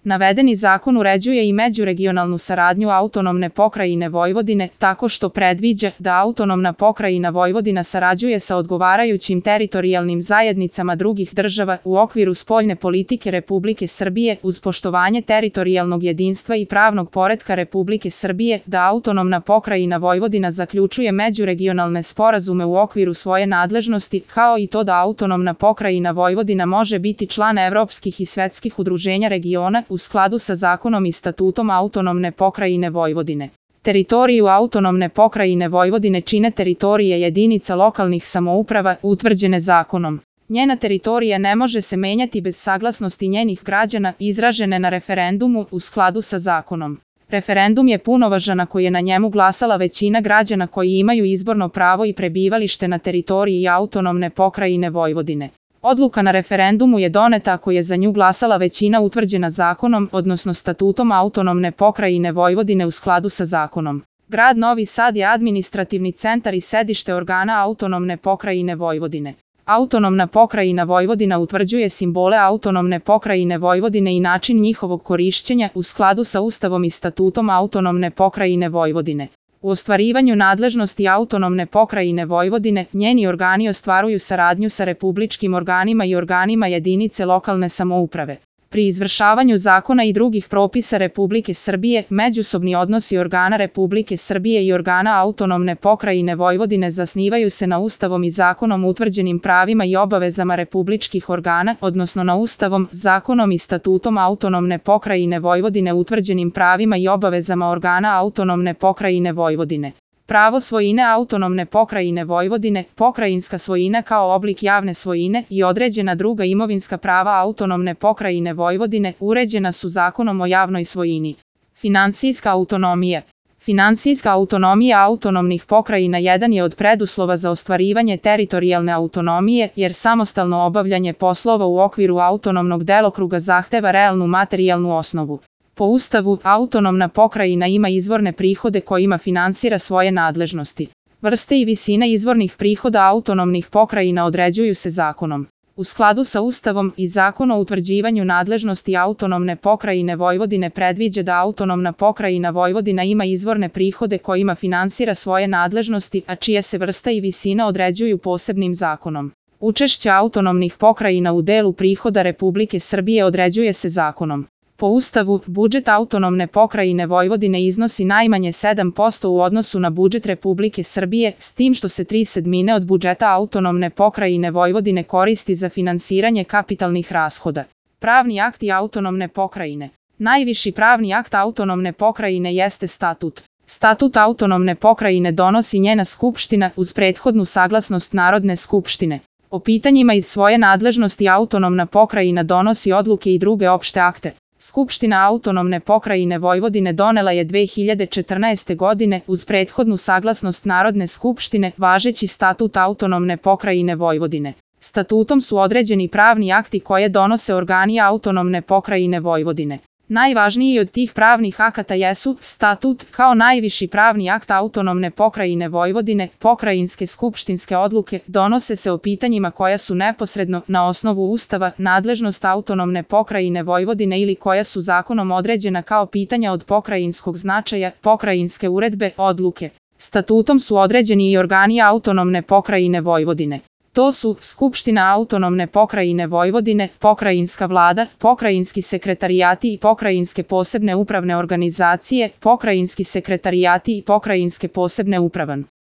Navedeni zakon uređuje i međuregionalnu saradnju autonomne pokrajine Vojvodine tako što predviđa da autonomna pokrajina Vojvodina sarađuje sa odgovarajućim teritorijalnim zajednicama drugih država u okviru spoljne politike Republike Srbije uz poštovanje teritorijalnog jedinstva i pravnog poretka Republike Srbije, da autonomna pokrajina Vojvodina zaključuje međuregionalne sporazume u okviru svoje nadležnosti, kao i to da autonomna pokrajina Vojvodina može biti član evropskih i svetskih udruženja regiona u skladu sa zakonom i statutom autonomne pokrajine Vojvodine. Teritoriju autonomne pokrajine Vojvodine čine teritorije jedinica lokalnih samouprava utvrđene zakonom. Njena teritorija ne može se menjati bez saglasnosti njenih građana izražene na referendumu u skladu sa zakonom. Referendum je punovažan ako je na njemu glasala većina građana koji imaju izborno pravo i prebivalište na teritoriji autonomne pokrajine Vojvodine. Odluka na referendumu je doneta ako je za nju glasala većina utvrđena zakonom, odnosno statutom autonomne pokrajine Vojvodine u skladu sa zakonom. Grad Novi Sad je administrativni centar i sedište organa autonomne pokrajine Vojvodine. Autonomna pokrajina Vojvodina utvrđuje simbole autonomne pokrajine Vojvodine i način njihovog korišćenja u skladu sa Ustavom i statutom autonomne pokrajine Vojvodine. U ostvarivanju nadležnosti autonomne pokrajine Vojvodine, njeni organi ostvaruju saradnju sa republičkim organima i organima jedinice lokalne samouprave. Pri izvršavanju zakona i drugih propisa Republike Srbije, međusobni odnosi organa Republike Srbije i organa autonomne pokrajine Vojvodine zasnivaju se na Ustavom i zakonom utvrđenim pravima i obavezama republičkih organa, odnosno na Ustavom, zakonom i statutom autonomne pokrajine Vojvodine utvrđenim pravima i obavezama organa autonomne pokrajine Vojvodine. Pravo svojine autonomne pokrajine Vojvodine, pokrajinska svojina kao oblik javne svojine i određena druga imovinska prava autonomne pokrajine Vojvodine uređena su Zakonom o javnoj svojini. Finansijska autonomija. Finansijska autonomija autonomnih pokrajina jedan je od preduslova za ostvarivanje teritorijalne autonomije, jer samostalno obavljanje poslova u okviru autonomnog delokruga zahteva realnu materijalnu osnovu. Po Ustavu, autonomna pokrajina ima izvorne prihode kojima finansira svoje nadležnosti. Vrste i visine izvornih prihoda autonomnih pokrajina određuju se zakonom. U skladu sa Ustavom i Zakon o utvrđivanju nadležnosti autonomne pokrajine Vojvodine predviđa da autonomna pokrajina Vojvodina ima izvorne prihode kojima finansira svoje nadležnosti, a čija se vrsta i visina određuju posebnim zakonom. Učešće autonomnih pokrajina u delu prihoda Republike Srbije određuje se zakonom. Po Ustavu, budžet autonomne pokrajine Vojvodine iznosi najmanje 7% u odnosu na budžet Republike Srbije, s tim što se 3/7 od budžeta autonomne pokrajine Vojvodine koristi za finansiranje kapitalnih rashoda. Pravni akti autonomne pokrajine. Najviši pravni akt autonomne pokrajine jeste statut. Statut autonomne pokrajine donosi njena skupština uz prethodnu saglasnost Narodne skupštine. O pitanjima iz svoje nadležnosti autonomna pokrajina donosi odluke i druge opšte akte. Skupština autonomne pokrajine Vojvodine donela je 2014. godine uz prethodnu saglasnost Narodne skupštine važeći statut autonomne pokrajine Vojvodine. Statutom su određeni pravni akti koje donose organi autonomne pokrajine Vojvodine. Najvažniji od tih pravnih akata jesu statut kao najviši pravni akt autonomne pokrajine Vojvodine, pokrajinske skupštinske odluke donose se o pitanjima koja su neposredno na osnovu Ustava nadležnost autonomne pokrajine Vojvodine ili koja su zakonom određena kao pitanja od pokrajinskog značaja, pokrajinske uredbe, odluke. Statutom su određeni i organi autonomne pokrajine Vojvodine. To su Skupština autonomne pokrajine Vojvodine, pokrajinska vlada, pokrajinski sekretarijati i pokrajinske posebne upravne organizacije, pokrajinski sekretarijati i pokrajinske posebne upravan.